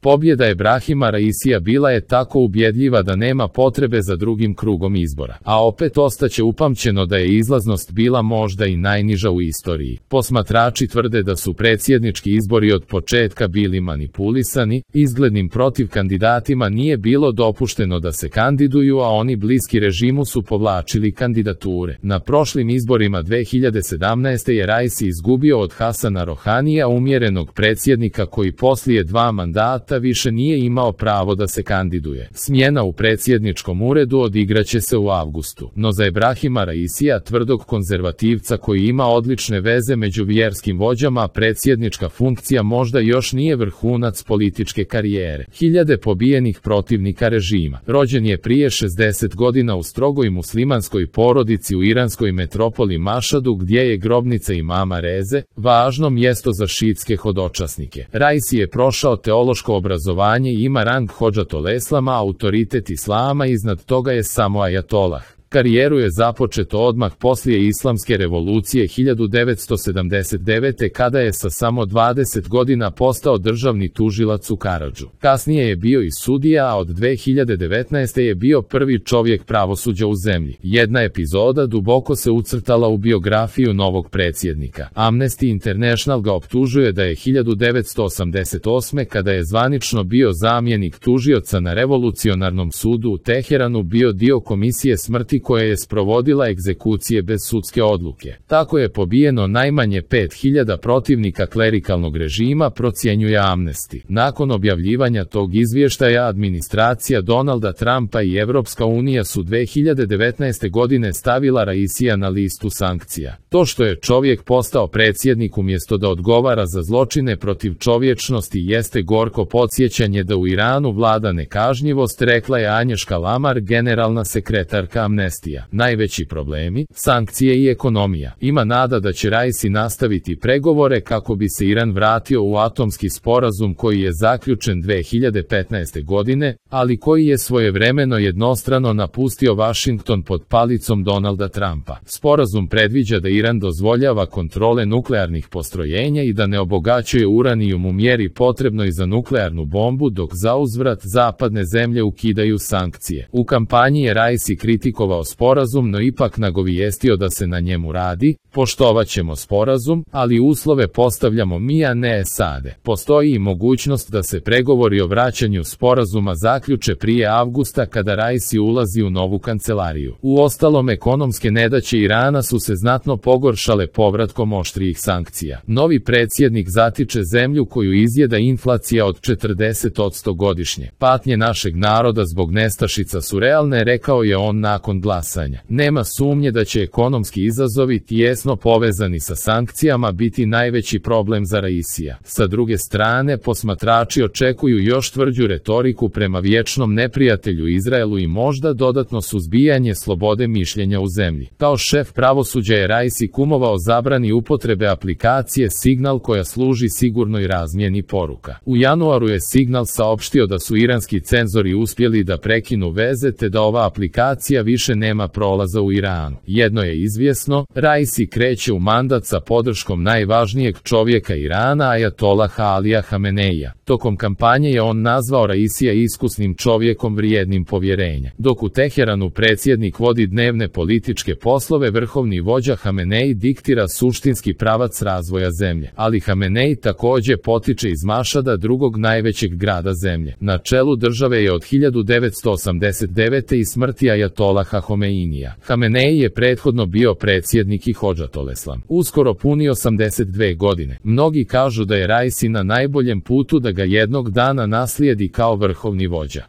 Pobjeda Ebrahima Raisija bila je tako ubjedljiva da nema potrebe za drugim krugom izbora. A opet ostaće upamćeno da je izlaznost bila možda i najniža u istoriji. Posmatrači tvrde da su predsjednički izbori od početka bili manipulisani, izglednim protiv kandidatima nije bilo dopušteno da se kandiduju, a oni bliski režimu su povlačili kandidature. Na prošlim izborima 2017. je Raisi izgubio od Hasana Rohanija, umjerenog predsjednika koji poslije 2 mandata više nije imao pravo da se kandiduje. Smjena u predsjedničkom uredu odigraće se u avgustu. No za Ebrahima Raisija, tvrdog konzervativca koji ima odlične veze među vjerskim vođama, predsjednička funkcija možda još nije vrhunac političke karijere. Hiljade pobijenih protivnika režima. Rođen je prije 60 godina u strogoj muslimanskoj porodici u iranskoj metropoli Mašadu, gdje je grobnica imama Reze, važno mjesto za šiitske hodočasnike. Raisi je prošao teološko obrazovanje i ima rang hodžatoleslama, autoritet islama, iznad toga je samo ajatolah. Karijeru je započeto odmah poslije Islamske revolucije 1979. kada je sa samo 20 godina postao državni tužilac u Karadžu. Kasnije je bio i sudija, a od 2019. je bio prvi čovjek pravosuđa u zemlji. Jedna epizoda duboko se ucrtala u biografiju novog predsjednika. Amnesty International ga optužuje da je 1988. kada je zvanično bio zamjenik tužioca na revolucionarnom sudu u Teheranu bio dio komisije smrti koja je sprovodila egzekucije bez sudske odluke. Tako je pobijeno najmanje 5000 protivnika klerikalnog režima, procjenjuje Amnesty. Nakon objavljivanja tog izvještaja, administracija Donalda Trumpa i Evropska unija su 2019. godine stavila Raisija na listu sankcija. To što je čovjek postao predsjednik umjesto da odgovara za zločine protiv čovječnosti jeste gorko podsjećanje da u Iranu vlada nekažnjivost, rekla je Anješka Lamar, generalna sekretarka Amnestija. Najveći problemi, sankcije i ekonomija. Ima nada da će Raisi nastaviti pregovore kako bi se Iran vratio u atomski sporazum koji je zaključen 2015. godine, ali koji je svojevremeno jednostrano napustio Washington pod palicom Donalda Trumpa. Sporazum predviđa da Iran dozvoljava kontrole nuklearnih postrojenja i da ne obogaćuje uranijum u mjeri potrebnoj za nuklearnu bombu, dok zauzvrat zapadne zemlje ukidaju sankcije. U kampanji je Raisi kritikovao sporazum, no ipak nagovijestio da se na njemu radi. Poštovat ćemo sporazum, ali uslove postavljamo mi, a ne SAD. Postoji i mogućnost da se pregovori o vraćanju sporazuma zaključe prije avgusta kada Raisi ulazi u novu kancelariju. Uostalom, ekonomske nedaće Irana su se znatno pogoršale povratkom oštrijih sankcija. Novi predsjednik zatiče zemlju koju izjeda inflacija od 40% godišnje. Patnje našeg naroda zbog nestašica su realne, rekao je on nakon glasanja. Nema sumnje da će ekonomski izazovi tijesno povezani sa sankcijama biti najveći problem za Raisija. Sa druge strane, posmatrači očekuju još tvrđu retoriku prema vječnom neprijatelju Izraelu i možda dodatno suzbijanje slobode mišljenja u zemlji. Kao šef pravosuđa je Raisi kumovao zabrani upotrebe aplikacije Signal koja služi sigurnoj razmjeni poruka. U januaru je Signal saopštio da su iranski cenzori uspjeli da prekinu veze te da ova aplikacija više nema prolaza u Iranu. Jedno je izvjesno, Raisi kreće u mandat sa podrškom najvažnijeg čovjeka Irana, ajatolaha Alija Hameneija. Tokom kampanje je on nazvao Raisija iskusnim čovjekom vrijednim povjerenja. Dok u Teheranu predsjednik vodi dnevne političke poslove, vrhovni vođa Hamenei diktira suštinski pravac razvoja zemlje. Ali Hamenei također potiče iz Mašada, drugog najvećeg grada zemlje. Na čelu države je od 1989. i smrti ajatolaha Homeinija. Hamenei je prethodno bio predsjednik i hodžatoleslam. Uskoro puni 82 godine. Mnogi kažu da je Raisi na najboljem putu da ga jednog dana naslijedi kao vrhovni vođa.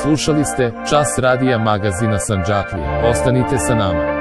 Slušali ste Čas radija magazina Sandžaklija. Ostanite sa nama.